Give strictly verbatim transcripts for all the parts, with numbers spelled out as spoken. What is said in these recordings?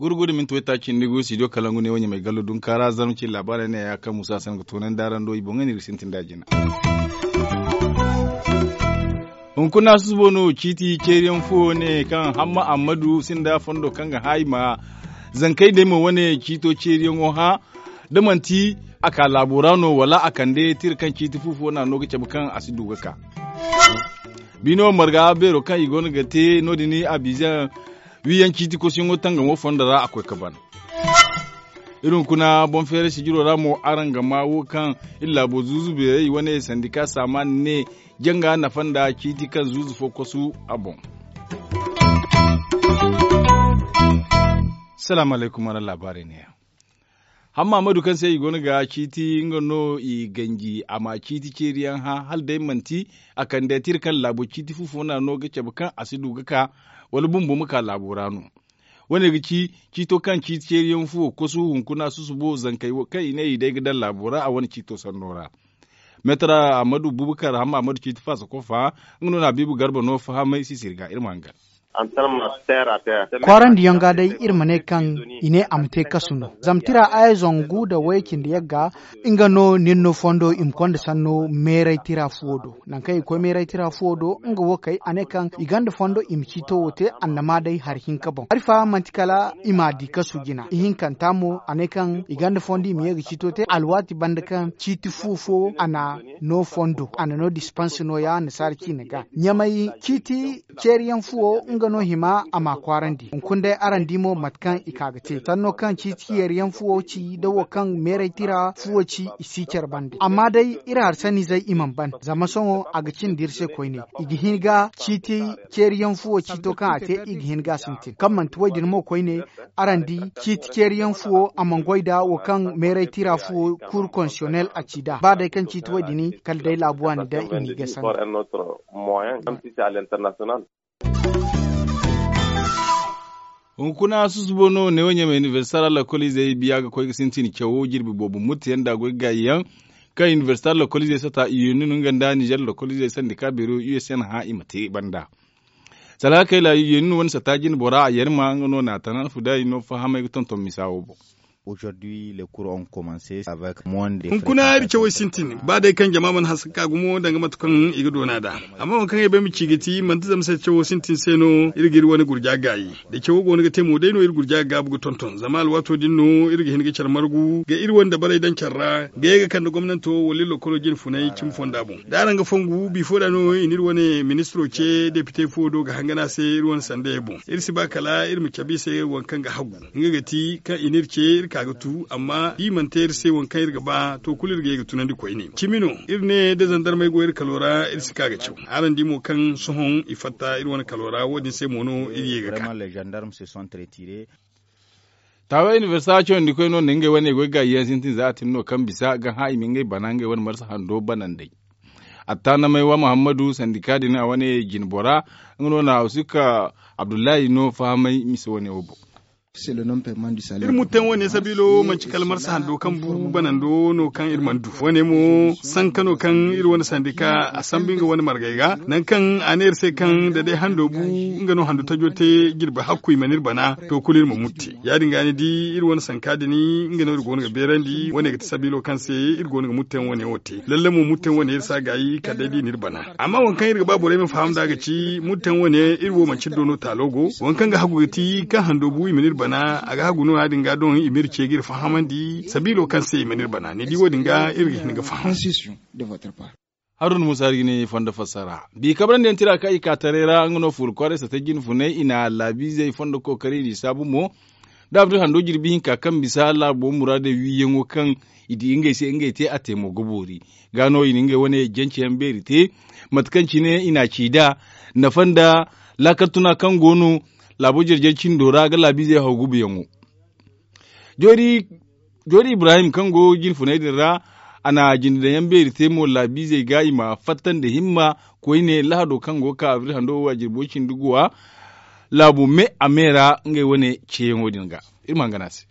Gurgudu minti waytaaci nda gu studio kalangu ne wo ɲamay gallo dunka ra zarma ci laabaarey ne ya kaŋ musa sanga toonandi araŋ do i boŋey no iri ga sintin da jina. Hunkuna susubo no ciiti ceeriyaŋ fuwo ne kaŋ hamma ammadu sinda fondo kaŋ ga hã i ma zankey day mo wane ciito ceeriyaŋo hã da manti a ka laabo ra no wala a kande tira kaŋ ciiti fu fo no a no ga cabe kaŋ a si du ga ka. Biino marga beero kaŋ i go no ga te no- din abizaŋ wiiyaŋ ciiti kosuyaŋo tangamo fondo ra a koy ga ban. Iri hunkuna boŋ feeray sijiro ra mo araŋ ga ma wo kaŋ iri laabo zuuzu beerey wane sandika saamaani ne janga nafa nda ciiti kaŋ zuuzu fo kosu a boŋ. Salaamu alaykum araŋ laabaarey neeya. Hamma ammadu kaŋ se i go no ga ciiti nga no i ganji a ma ciiti ceeriyaŋ hã hala day manti a kande tira kaŋ laabo ciiti fu fo no a no ga cabe kaŋ a si du ga ka wala bumbo ma ka laabo ra no. Wo- ne ga ci ciito kaŋ ciiti ceeriyaŋ fuwo kosu hunkuna susubo zankey kaŋ i ne i day ga daŋ laabo ra a wane ciito sanno ra. Meetara ammadu bubakar hamma ammadu ciiti faasa kofa nga no na habiibu garba no fahamay sisiri ga iri ma hangan. Kwaarandiyaŋ ga day iri ma ne kaŋ i ne a ma te kasu no zama tira aya zangu nda way- cindi yagga nga no ni ni no fondo i ma konda sanno meeray tira fuwo do. Nangu kaŋ i ga koy meeray tira fuwo do nga wo kay a ne kaŋ i gonda fondo i ma ciito wo te annama day hari hinka boŋ hari fa manti kala i m'a di kasu jina ihinkanta mo a ne kaŋ i gonda fondo i ma ye ga ciito te alwaati banda kaŋ ciiti fu fo a na no fondo a na no dispanse nooya annasaara ciine ga ɲamay ciiti ceeriyaŋ fuwo nga no hima a m'a kwaarandi hunkuna day araŋ di mo mate kaŋ i ka ga te sanno kaŋ ciiti ceeriyaŋ fuwo ci da wo kaŋ meeray tira fuwo ci i si care bande amma day iri hari sanizey i mana ban zama sohõ a ga cindi iri se koyne i ga hin ga ciiti ceeriyaŋ fuwo ciito kaŋ a te i ga hin ga a sintin kaŋ manti wo- din mo koyne araŋ di ciiti ceeriyaŋ fuwo a mana goy nda wo kaŋ meeray tira fuwo kuur konsiyonel a ci nd'a ba day kaŋ ciiti wo- din kala day laabu waani daŋ i n'i ga sanda. Hunkuna susubo no neewo ɲamay inibersita ra lakkol izey biya ga koy ga sintin cawo jirbi boobo muttu yaŋ da goy ga gaayi yaŋ kaŋ inibersita ra lakkol izey sata iyoni no nga nda nizer lakkol izey sandika beero u s n hã i ma te banda. Salahakey ra iyoni no wane sata jine bora a yarma nga no na a tana alfudaari no fahamay ga tonton misa wo boŋ. Hunkuna iri cawey sintin ba day kaŋ jama mana hanse ga ka gumo danga mate kaŋ i ga doona nd'a. Amma waŋ kaŋ ay bay ma ci ga ti manti zama se cawo sintin se no iri ga iri wane gurja gaayi. Da cawo go no ga te mo day no iri gurja ga gaabu ga tonton zama alwaato din no iri ga hin ga care margu ga iri wane dabarey daŋ care ra ga ye ga kande gomnanto wala iri lokolo jine funay cimi fonda boŋ da araŋ ga fongu bifo da no i na iri wane ministiro ce depite fo do ga hangan a se iri wane sandayey boŋ iri si ba kala iri ma cabe i se waŋ kaŋ ga hagu. Nga ga ti kaŋ i n'iri ce iri ka ga tu amma da i mana te iri se waŋ kaŋ iri ga ba to kulu iri ga ye ga tunandi koyne cimi no iri ne da zandarmey go iri kalo ra iri si ka ga caw. Araŋ di mo kaŋ sohõ i fatta iri wane kalo ra wo- din se mo no iri ye ga ka. Taawey inibersita cawandi koy no nda ngey wane goy gaayi yaŋ sintin za a tin no kaŋ bisa ga hã i ma ngey bana ngey wane marsa hando banandey. Attaanamay wa muhammadu sandika din a wane jine bora nga no na hawsika abdullahi no fahamay mise wane wo boŋ. Iri muttan wane sabiilo manci kala marsa hando kaŋ bu banando no kaŋ iri mana du wane mo sanka no kaŋ iri wane sandika a sambu nga wane margey ga nangu kaŋ a ne iri se kaŋ da day hando bu nga no hando tajo te jirbi hakku i mana iri bana to kulu iri ma mutte. Ya- din ga ni di iri wane sanka din nga no iri go no ga beerandi wane ga ti sabiilo kaŋ se iri go no ga muttan wane wo te lalle mo muttan wane iri si a gaayi kala day da i na iri bana. Amma waŋ kaŋ iri ga ba borey ma faham nd'a ga ci muttan wane iri wo manci iri do no taalo go waŋ kaŋ ga hagu ga ti kaŋ hando bu i mana iri bana a ga hagu no ya- din ga doŋ i ma iri ce ga iri fahamandi sabiilo kaŋ se i mana iri bana ni di wo- din ga iri ga hin ga faham. Haruna musa iri ga ne fondo fassara bi kabrandi yaŋ tira kaŋ i ka taray ra nga no fuula kwaaray sata jine funay i na laabiizey fondo kookari i n'i saabu mo da abdul hando jirbi hinka kaŋ bisa laabo muraadey wiiyaŋo kaŋ i di ngey se ngey te a te mo ga boori. Ga no i na ngey wane jance yaŋ beeri te mate kaŋ cine i n'a ci nd'a nafa nda laakal tuna kaŋ go no laabo jare-jare cindo ra ga laabiizey haw gubuyaŋo. Joori ibrahim kaŋ go jine funay din ra a na jinde daŋ yaŋ beeri te mo laabiizey ga i ma fatta nda himma koyne lahado kaŋ go ga ka abril hando wo a jirbo cindi guwa laabu me a me ra ngey wane ceeyaŋo din ga. Iri ma hangan a se.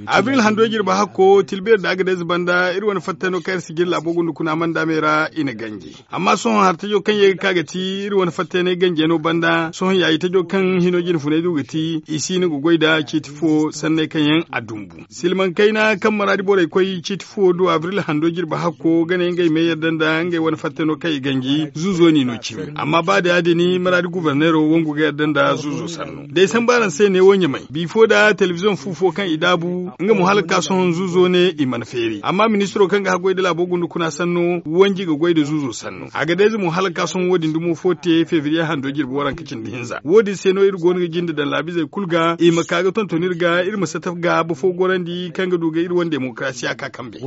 Avril hando jirbi hakko tilbeeri da agadez banda iri wane fattano kaŋ iri si jiri laabo gunda kuna mandaamey ra i na ganji. Amma sohõ hari tajo kaŋ ye ga ka ga ti iri wane fattayaney ganjey no banda sohõ yaayi tajo kaŋ hino jine funay du ga ti i si no ga goy nda ciiti fo sanney kaŋ yaŋ a dumbu. Silmaŋ kayna kaŋ maraadi borey koy ciiti fo du abril hando jirbi hakko ga ne ngey me yadda nda ngey wane fattano kaŋ i ganji zuzo n'i no cimi. Amma ba da ya- din maraadi guberneero wangu ga yadda nda zuzo sanno day sambu araŋ se neewo ɲamay bifo nda telebiziyoŋ fu fo kaŋ i daabu nga mo hala ga ka sohõ zuzo ne i mana feeri amma ministiro kaŋ ga haggoy nda laabo gunda kuna sanno wanji ga goy nda zuzo sanno a ga dayze mo hala ga ka sohõ wo- din dumo fo te febriye hando jirbi waranka cindi hinza wo- din se no iri go no ga jinde daŋ laabizey kulu ga i ma ka ga tonton iri ga iri ma sataf ga bafo gorandi kaŋ ga du ga iri wane demokarasiya ka kambe.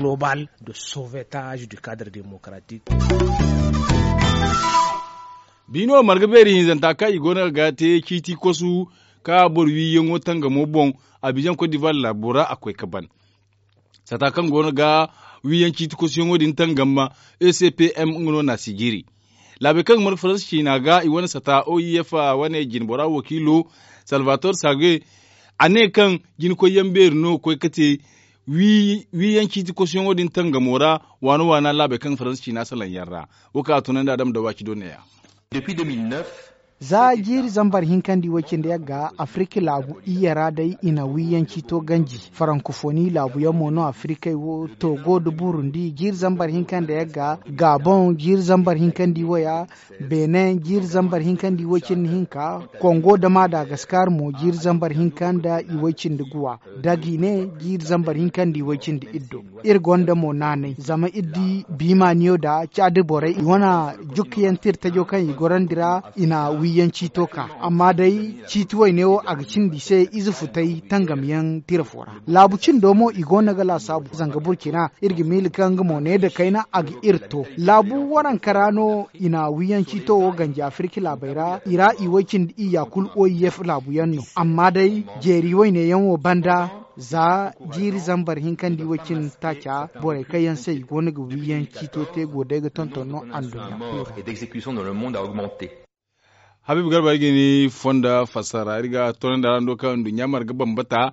Biino marga beeri hinzanta kaŋ i go no ga ga te ciiti kosu ka boro wiiyaŋo tangamo boŋ abizaŋ kot divuwar laabo ra a koy ga ban. Sata kaŋ go no ga wiiyaŋ ciiti kosuyaŋo din tangam ma e c p m nga no na sijiri. Laabey kaŋ ga marga faransa ciina ga i wane sata o i f wane jinbora wakiilo salvator sage a ne kaŋ jinkoyyaŋ beeri no ga koy ga te wiiyaŋ ciiti kosuyaŋo din tangamo ra waana waana laabey kaŋ ga faransa ciina salaŋ yaŋ ra. Wo kaŋ a tunandi a dama dawaaci do neeya. Za jiiri zambar hinka nda i way cindi yagga afirika laabu iyye ra day i na wiiyaŋ ciito ganji. Farankofoni laabuyaŋ mo no afirikey wo togo nda burundi jiiri zambar hinka nda yagga, gabon jiiri zambar hinka nda i waya, benin jiiri zambar hinka nda i way cindi hinka, kongo nda madagaskar mo jiiri zambar hinka nda i way cindi guwa, dagine jiiri zambar hinka nda i way cindi iddo. Iri gonda mo naanay zama iri di biimaaniyo nda caadi borey i wane jukkiyaŋ tirtajo kaŋ i gorandi ra i na wiiyaŋ ciito ka. Amma day ciiti wayne wo a ga cindi i se ize futay tangamyaŋ tira fo ra. Laabu cindo mo i go no ga laasaabu zanga burkina iri ga miila kaŋ nga mo ne nda kayna a ga iri to laabu waranka ra no i na wiiyaŋ ciito wo ganji afirka laabey ra i ra i way cindi iyya kulu o i yef laabuyaŋ no. Amma day jeeri wayneyaŋ wo banda za jiiri zambar hinka nda i way cindi taaca borey kaŋ yaŋ se i go no ga wiiyaŋ ciito te go day ga tonton no anduɲɲa kulu ra. Habiibu garba ay ga ni fonda fassara iri ga tonandi a ra no kaŋ anduɲɲa marga bambata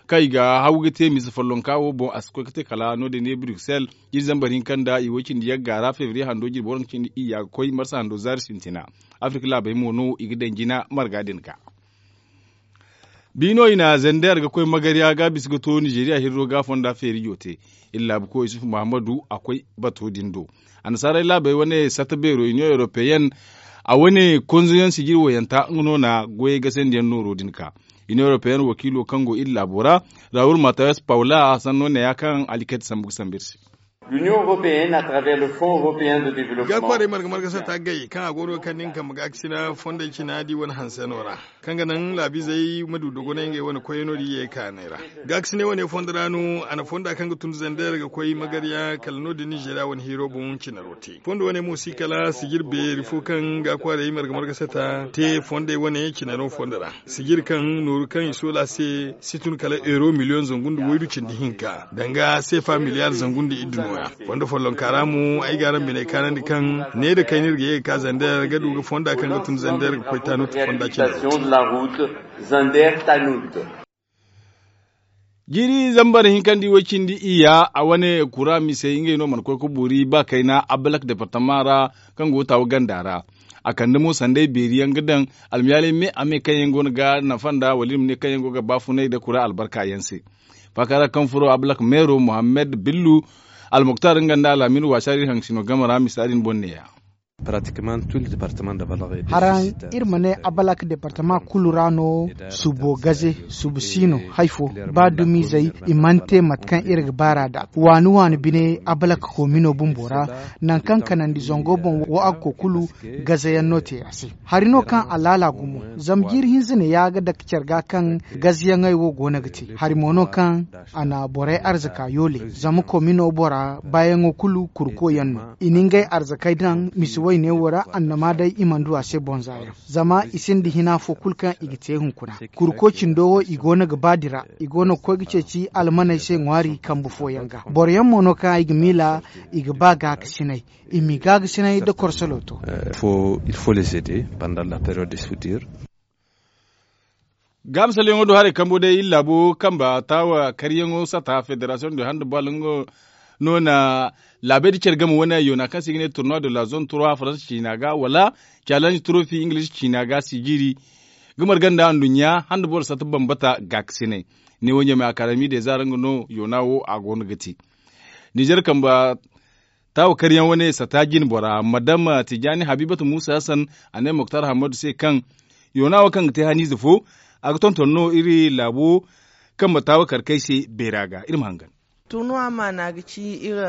kaŋ i ga haw ga te misa follonka wo boŋ a si koy ga te kala no- din ne bruxelles jiiri zambar hinka nda i way cindi yagga ra febriye hando jirbi waranka cindi iyya ga koy marsa hando zaari sintina. Afirka laabey mo no i ga daŋ jina marga din ga. Biino i na zender ga koy magarya ga bisa ga to nizeriya hirro ga fonda feerijo te. Iri laabuko yusuf muhammadu a koy bato din do. Annasaarey laabey wane sata beero union europeyen a wane konzoyaŋ sijir wayanta nga no na goyey gasandiyaŋ nooro din ka. Union europeyen wakiilo kaŋ go iri laabo ra, raul matayas paula a sanno neeya kaŋ alikayta sambu ga sambu iri se. L'union européenne à travers le fonds européen de développement. Ga kwaaray marga marga sata gay kaŋ a go no ga kande nga kambe ga ga sina fondey cina di wane hanseno ra, kaŋ ga naŋ laabiizey ma du dogonay ngey wane koyey no da i ye ga kaanay ra. Ga ga sina wane fondo ra no a na fonda kaŋ ga tun zander ga koy magarya kala no- din nizeeriya wane hiiro boŋ cinaro te fondo wane mo si kala sijir beeri fo kaŋ ga kwaaray marga marga sata te fondey wane cinaro fondo ra. Sijir kaŋ nooru kaŋ i soola se si tun kala euro miliyoŋ zangu nda waydu cindi hinka danga seefa miliyar zangu nda iddu nooya. Fondo follonka ra mo ay ga araŋ biney kaanandi kaŋ ne nda kayna iri ga ye ga ka zander ga du ga fonda kaŋ ga tun zander ga koy tanut fonda cindi. Jiiri zambar hinka nda i way cindi iyya a wane kura misey ngey no mana koy ga boori ba kayna abbalak departama ra kaŋ go ga taawu ganda ra. A kande mo sanday beeri yaŋ ga daŋ almiyaalay me a me kaŋ yaŋ go no ga nafa nda wala iri ma ne kaŋ yaŋ go ga baafunay nda kura albarka yaŋ se. Faaka ra kaŋ furo abbalak meero muhammad billu almuktar nga nda alhamin waasa ra iri haŋ sino game ra misa din boŋ neeya. Haraŋ iri ma ne abalak departama kulu ra no subo gaze subo si no hari fo ba dumizey i mana te mate kaŋ iri ga baar'a nd'a waani waani bine abalak koomino bumbo ra. Nangu kaŋ kanandi zango boŋ wo a ga koy kulu gazeyaŋ no te a se. Hari no kaŋ a laala gumo zama jiiri hinza ne ya ga dake care ga kaŋ gazeyaŋey wo go no ga te hari mo no kaŋ a na borey arzaka yoole zama koomino bora baayaŋo kulu kurko yaŋ no. I na ngey arzakey daŋ misi wayne wo ra annama day i mana du a se bonza yaŋ zama i sinda hina fo kulu kaŋ i ga te hunkuna. Kurko cindo wo i go no ga ba dira i go no ga koy ga ceeci almaney se ŋwaari kambe fooyaŋ ga boroyaŋ mo no kaŋ ay ga miila i ga ba gaakasinay i m'i gaakasinay nda korsolo to. Il faut les aider pendant la période de soudure. Gaamisalyaŋo do haray kambo day iri laabo kamba taawa karyaŋo sata federasiyoŋ de handa bal nga no na laabey da care game wane yoona kaŋ se i ga ne turnuwa de la zone trois faransa ciina ga wala challenge trophy ingilish ciina ga si jiiri ga marga nda anduɲɲa handa boro sata bambata gaakasinay. Ne wo ɲamay akademi de zaara nga no yoona wo a go no ga te. Nizer kamba taawa karyaŋ wane sata jine bora madam tijaani habibatu muusa hassan a ne moktar hammadu se kaŋ yoona wo kaŋ ga te haniize fo a ga tonton no iri laabo kaŋ ma taawa kar kay se beera ga iri ma hangan. Turnuwa maana ga ci iri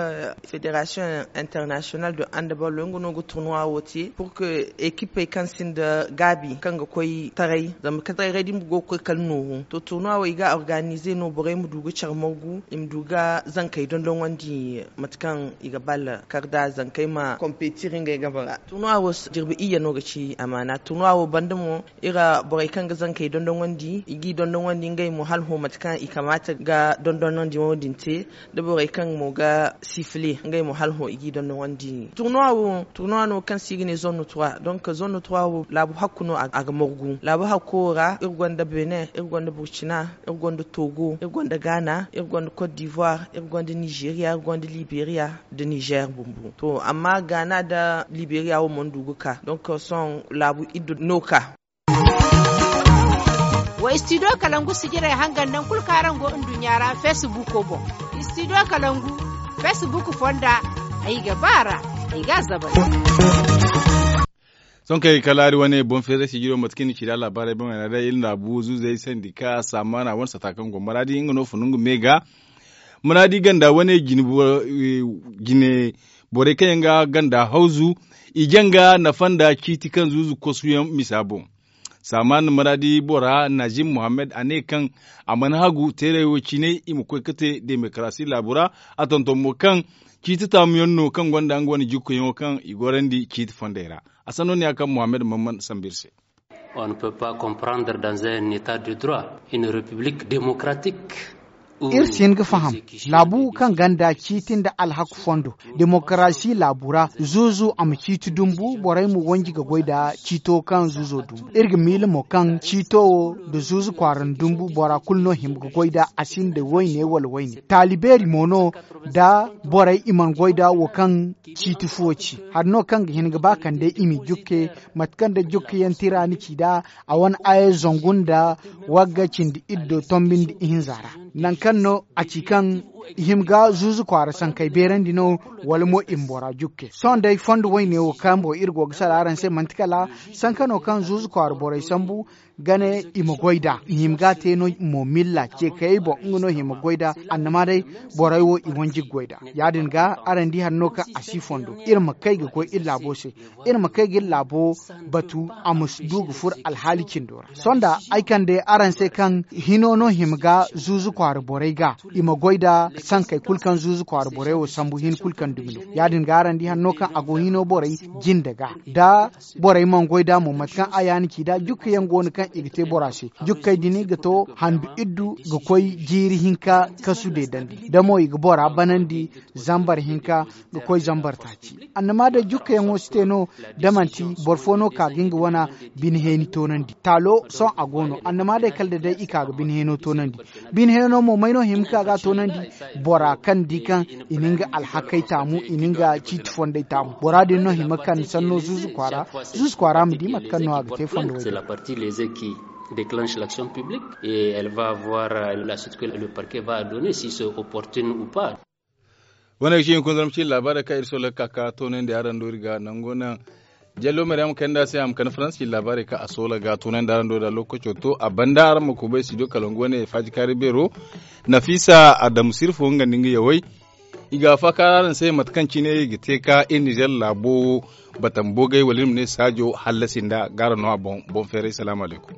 federasiyoŋ international do andabalo nga no ga turnuwa wo te pur que ekipey kaŋ sinda gaabi kaŋ ga koy taray zama ka taray da i ma go ga koy kala nooru to turnuwa wo i ga organize no borey ma du ga care margu i ma du ga zankey dondoŋandi mate kaŋ i ga balla kar da zankey ma competiri ngey game ra. Turnuwa wo jirbi iyye no ga ci amaana turnuwa wo banda mo iri borey kaŋ ga zankey dondoŋandi i g'i dondoŋandi ngey mo hala hõ mate kaŋ i kamaata ga dondoŋandi wo- din te da borey kaŋ mo ga sifile ngey mo hala hõ i g'i dondoŋandi. Turnuwa wo turnuwa no kaŋ se i ga ne zone trois donk zone trois wo laabu hakku no a ga margu laabu hakko wo ra iri gonda benin iri gonda burkina iri gonda togo iri gonda ghana iri gonda cote d'ivoire iri gonda nigeria iri gonda liberia nda niger bumbo to amma ghana nda liberia wo mana du ga ka donk sohõ laabu iddu no ka. Wa istidiyo kalangu sijirey hangan naŋ kulu kaŋ araŋ go nduɲɲa ra feesibuko boŋ. Istidiyo kalangu feesibuku fonda ay ga ba a ra ay ga a zabay. Sohõ kaŋ ay ga kalaari wane boŋ feeray sijiro mate kaŋ i na ci nd'a laabaarey boŋ ay na day iri na bu zuuzey sandi ka saamaana wane sata kaŋ go maraadi nga no funu nga me ga maraadi ganda wane jine borey kaŋ yaŋ ga ganda hawzu i jaŋ ga nafa nda ciiti kaŋ zuuzu kosuyaŋ misa boŋ. Saaman maraadi bora najim muhammad a ne kaŋ a mana hagu teeray wo cine i ma koy ga te demokarasi laabu ra. A tonton mo kaŋ ciiti taamuyaŋ no kaŋ gonda nga wane jikkoyaŋo kaŋ i gorandi ciiti fondey ra. A sanno ne ya kaŋ muhammad mamman sambu iri se. On ne peut pas comprendre dans un état de droit une république démocratique. Iri si hin ga faham laabu kaŋ ganda ciiti nda alhaku fondo demokarasi laabu ra zuuzu a ma ciiti dumbu borey ma wanji ga goy nda ciito kaŋ zuuzo dumbu iri ga miila mo kaŋ ciito wo nda zuuzu kwaara nda dumbu bora kulu no hima ga goy nda a sinda wayne wala wayne taali beeri mo no nda borey i mana goy nda wo kaŋ ciiti fuwo ci hari no kaŋ ga hin ga ba kande i m'i jukke mate kaŋ nda jukkayaŋ tira ni ci nd'a a wane aya zangu nda wagga cindi iddo tombi nda ihinza ra. Nangu kaŋ no a ci kaŋ i hima ga zuuzu kwaara sankey beerandi no wala mo i ma bora jukke sohõ day fondo wayne wo kaŋ boŋ iri go ga sala araŋ se manti kala sankano kaŋ zuuzu kwaara borey sambu ga ne i ma goy nd'a i hima ga a te no mo milla ce kayey boŋ nga no hima goy nd'a annama day borey wo i wanji ga goy nd'a ya- din ga araŋ di hari no kaŋ a si fondo iri ma kay ga koy iri laabo se iri ma kay ga iri laabo batu a ma du ga furo alhaali cindo ra sohõ da ay kande araŋ se kaŋ hino no hima ga zuuzu kwaara borey ga i ma goy nda sankey kulu kaŋ zuuzu kwaara borey wo sambu hin kulu kaŋ dumi no ya- din ga araŋ di hari no kaŋ a go hino borey jinde ga da borey mana goy nd'a mo mate kaŋ a yaani ci nd'a jukkayaŋ go no kaŋ i ga te bora se jukkey din ga to handu iddu ga koy jiiri hinka kasu deedandi da mo i ga bora banandi zambar hinka ga koy zambar taaci annama day jukkayaŋo si te no da manti boro fo no ka ga nga wana bine heeni toonandi taalo sohõ a go no annama day kala da day i ka ga bine heeno toonandi bine heeno mo may no hima ka ga a toonandi bora kaŋ di kaŋ i na nga alhakey taamu i na nga ciiti fondey taamu bora din no hima ka ni sanno zuuzu kwaara zuuzu kwaara ma di mate kaŋ no a ga te fondo way. Déclenche l'action publique et elle va voir la suite que le parquet va donner si c'est opportune ou pas. Wane ga ci hunkuna zama ci labaarey kaŋ iri sola ga ka ka toonandi araŋ do iri ga nango naŋ jallo maryam kanda se a ma kande faransa ci labaarey kaŋ a sola ga toonandi araŋ do da lokaco to a banda araŋ ma kubay studio kalangu wane faaji kaari beero nafisa adamu sirfo nga nda nga yawey i ga faakaara araŋ se mate kaŋ cine i ga te ka iri nizer laabo batam boogay wala iri ma ne saajo hallasi nda ga araŋ no a boŋ boŋ feeray salaamu alaykum.